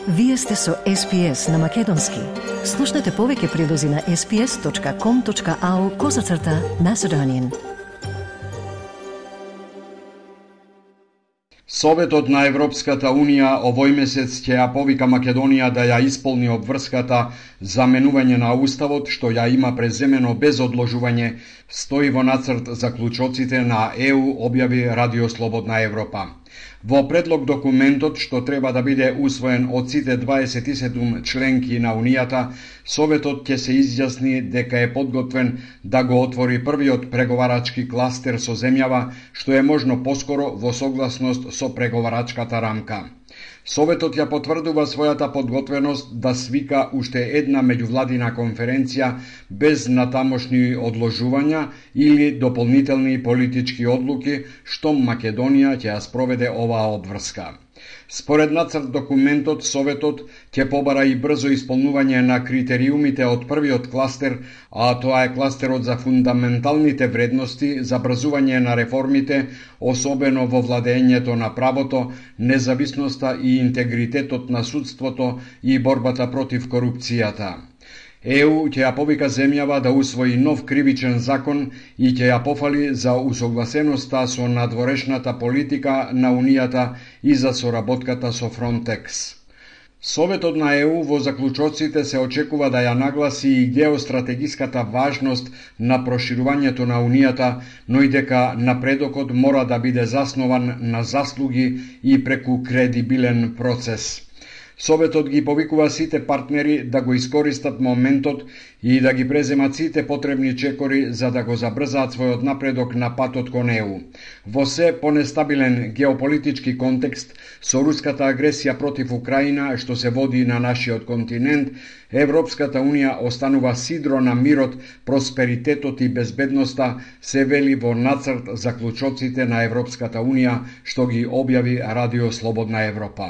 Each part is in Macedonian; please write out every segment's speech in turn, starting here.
Вие сте со SPS на Македонски. Слушнете повеќе прилози на sps.com.au/Macedonian. Советот на Европската Унија овој месец ќе ја повика Македонија да ја исполни обврската за менување на уставот што ја има преземено без одложување, стои во нацрт заклучоците на ЕУ, објави Радио Слободна Европа. Во предлог документот, што треба да биде усвоен од сите 27 членки на Унијата, Советот ќе се изјасни дека е подготвен да го отвори првиот преговарачки кластер со земјава, што е можно поскоро во согласност со преговарачката рамка. Советот ја потврдува својата подготвеност да свика уште една меѓувладина конференција без натамошни одложувања или дополнителни политички одлуки, што Македонија ќе ја спроведе оваа обврска. Според нацрт документот, Советот ќе побара и брзо исполнување на критериумите од првиот кластер, а тоа е кластерот за фундаменталните вредности, забрзување на реформите, особено во владењето на правото, независноста и интегритетот на судството и борбата против корупцијата. ЕУ ќе ја повика земјава да усвои нов кривичен закон и ќе ја пофали за усогласеноста со надворешната политика на Унијата и за соработката со Фронтекс. Советот на ЕУ во заклучоците се очекува да ја нагласи и геостратегиската важност на проширувањето на Унијата, но и дека напредокот мора да биде заснуван на заслуги и преку кредибилен процес. Советот ги повикува сите партнери да го искористат моментот и да ги преземат сите потребни чекори за да го забрзаат својот напредок на патот кон ЕУ. Во се понестабилен геополитички контекст, со руската агресија против Украина што се води на нашиот континент, Европската Унија останува сидро на мирот, просперитетот и безбедноста, се вели во нацрт заклучоците на Европската Унија што ги објави Радио Слободна Европа.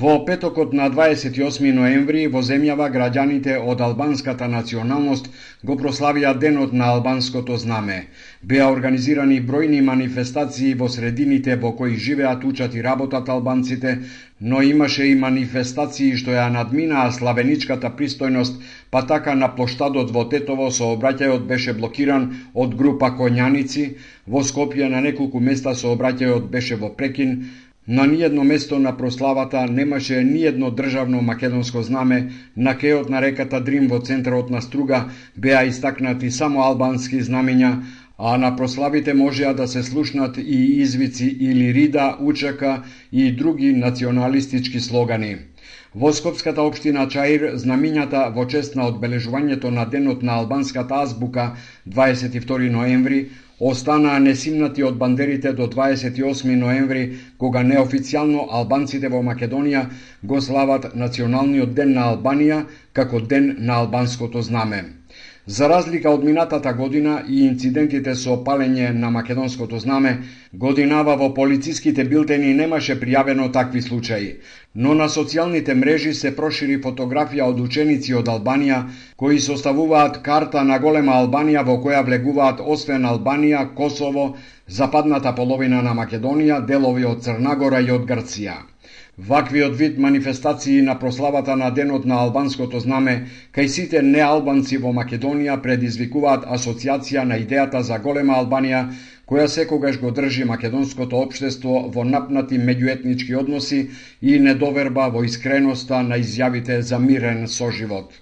Во петокот на 28 ноември во земјава граѓаните од албанската националност го прославија Денот на албанското знаме. Беа организирани бројни манифестации во средините во кои живеат, учат и работат албанците, но имаше и манифестации што ја надминаа славеничката пристојност, па така на плоштадот во Тетово сообраќајот беше блокиран од група коњаници, во Скопје на неколку места сообраќајот беше во прекин. На ниедно место на прославата немаше ниедно државно македонско знаме, на кејот на реката Дрим во центарот на Струга беа истакнати само албански знамења, а на прославите можеа да се слушнат и извици или Рида, Учака и други националистички слогани. Во Скопската општина Чаир знамињата во чест на одбележувањето на Денот на албанската азбука 22 ноември останаа несимнати од бандерите до 28 ноември, кога неофицијално албанците во Македонија го слават Националниот ден на Албанија како Ден на албанското знаме. За разлика од минатата година и инцидентите со палење на македонското знаме, годинава во полициските билтени немаше пријавено такви случаи, но на социјалните мрежи се прошири фотографија од ученици од Албанија кои составуваат карта на голема Албанија во која влегуваат освен Албанија, Косово, западната половина на Македонија, делови од Црна Гора и од Грција. Ваквиот вид манифестации на прославата на Денот на албанското знаме кај сите неалбанци во Македонија предизвикуваат асоциација на идејата за голема Албанија, која секогаш го држи македонското општество во напнати меѓуетнички односи и недоверба во искреноста на изјавите за мирен соживот.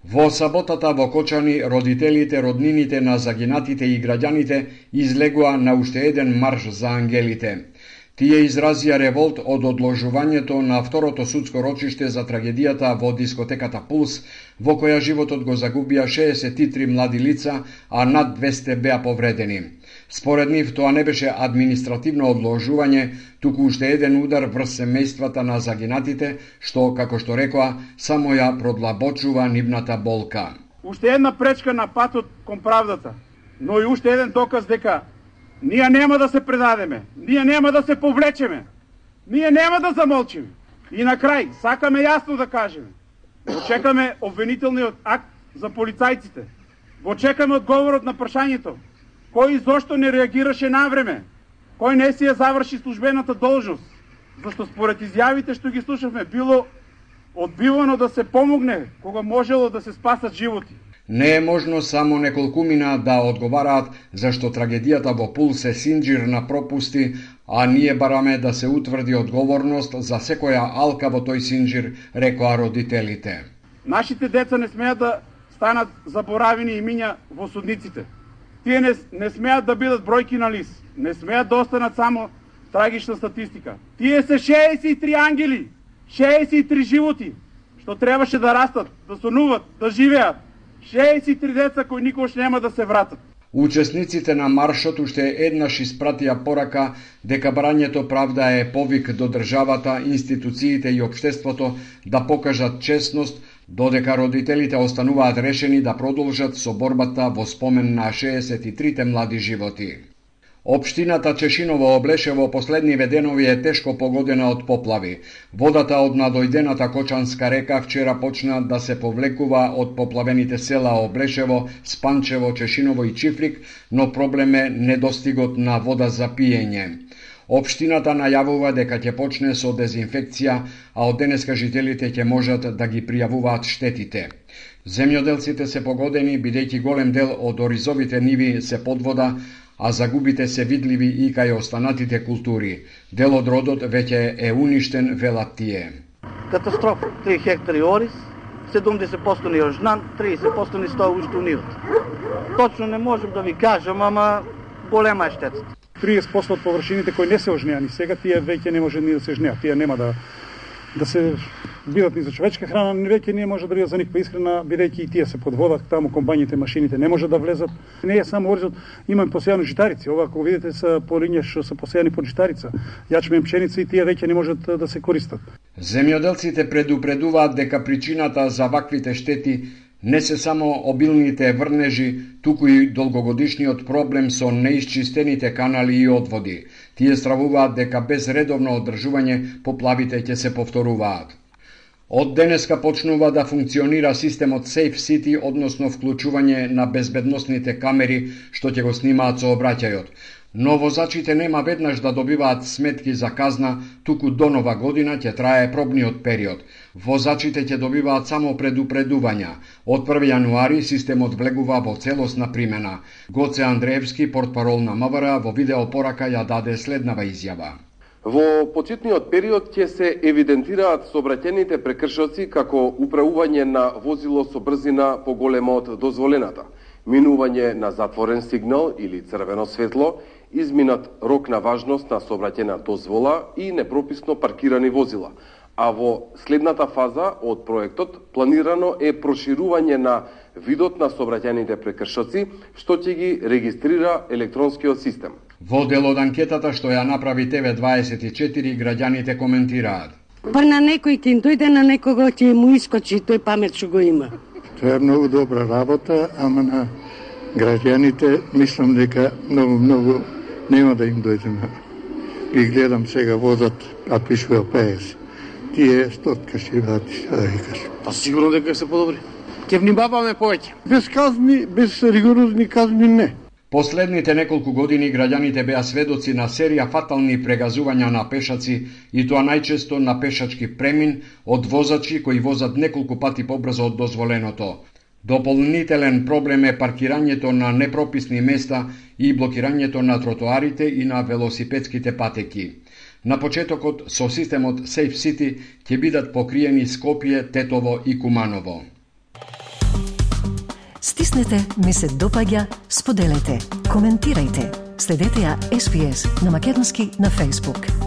Во саботата во Кочани, родителите, роднините на загинатите и граѓаните излегуа на уште еден марш за ангелите. Тие изразија револт од одложувањето на второто судско рочиште за трагедијата во дискотеката Пулс, во која животот го загубија 63 млади лица, а над 200 беа повредени. Според нив, тоа не беше административно одложување, туку уште еден удар врз семејствата на загинатите, што, како што рекоа, само ја продлабочува нивната болка. Уште една пречка на патот кон правдата, но и уште еден доказ дека ние нема да се предадеме, ние нема да се повлечеме, ние нема да замолчиме. И на крај, сакаме јасно да кажеме, го чекаме обвинителниот акт за полицајците, го чекаме одговорот на прашањето, кој и зошто не реагираше навреме, кој не си ја заврши службената должност, зашто според изјавите што ги слушавме, било одбивано да се помогне кога можело да се спасат животи. Не е можно само неколкумина да одговараат зашто трагедијата во Пул се синџир на пропусти, а ние бараме да се утврди одговорност за секоја алка во тој синџир, рекоа родителите. Нашите деца не смеат да станат заборавени имиња во судниците. Тие не смеат да бидат бројки на лист, не смеат да останат само трагична статистика. Тие се 63 ангели, 63 животи, што требаше да растат, да сонуват, да живеат. 63 деца кои никош нема да се вратат. Учесниците на маршот уште еднаш испратија порака дека барањето правда е повик до државата, институциите и општеството да покажат честност, додека родителите остануваат решени да продолжат со борбата во спомен на 63 млади животи. Општината Чешиново облеше во последниве денови е тешко погодена од поплави. Водата од надојдената Кочанска река вчера почна да се повлекува од поплавените села Облешево, Спанчево, Чешиново и Чифлик, но проблем е недостигот на вода за пиење. Општината најавува дека ќе почне со дезинфекција, а од денеска жителите ќе можат да ги пријавуваат штетите. Земјоделците се погодени бидејќи голем дел од оризовите ниви се под вода, а загубите се видливи и кај останатите култури. Дел од родот веќе е уништен, велат тие. Катастрофа. 3 хектари ориз, 70% ни јожнан, 30% ни стоја уште унивот. Точно не можем да ви кажам, ама голема е штетата. 30% од површините кои не се ожнеани сега, тие веќе не може ни да се жнеат. Тие нема да се бидат ни за човечка храна, веќе не може да бидат за никаква исхрана, бидејќи и тие се под вода, таму комбањите, машините не може да влезат. Не е само оризот, имаме посејано житарици. Ова, ако видите, са по линија што се посејани под житарица, јачмен, пшеница и тие веќе не можат да се користат. Земјоделците предупредуваат дека причината за ваквите штети не се само обилните врнежи, туку и долгогодишниот проблем со неисчистените канали и одводи. Тие стравуваат дека без редовно одржување поплавите ќе се повторуваат. Од денеска почнува да функционира системот Safe City, односно вклучување на безбедносните камери што ќе го снимаат сообраќајот. Но возачите нема веднаш да добиваат сметки за казна, туку до нова година ќе трае пробниот период. Возачите ќе добиваат само предупредувања. Од 1 јануари системот влегува во целосна примена. Гоце Андреевски, портпарол на МВР, во видеопорака ја даде следнава изјава. Во почетниот период ќе се евидентираат сообраќајните прекршоци како управување на возило со брзина поголема од дозволената, минување на затворен сигнал или црвено светло, изминат рок на важност на сообраќајна дозвола и непрописно паркирани возила. А во следната фаза од проектот планирано е проширување на видот на сообраќајните прекршоци, што ќе ги регистрира електронскиот систем. Во дел од анкетата што ја направи TV24, граѓаните коментираат. Па на некој ќе дојде, на некого ќе му искочи тој памет што го има. Тоа е многу добра работа, ама на граѓаните мислам дека многу нема да им дојде на. И гледам сега возат, а пишува 50. Тие стотка ще врати, да викаш. Па сигурно дека се подобри. Ќе внимаваме повеќе. Без казни, без ригорозни казни не. Последните неколку години граѓаните беа сведоци на серија фатални прегазувања на пешаци, и тоа најчесто на пешачки премин од возачи кои возат неколку пати побрзо од дозволеното. Дополнителен проблем е паркирањето на непрописни места и блокирањето на тротоарите и на велосипедските патеки. На почетокот со системот Safe City ќе бидат покриени Скопје, Тетово и Куманово. Стиснете, ми се допаѓа, споделете, коментирајте. Следете ја SPS на Македонски на Facebook.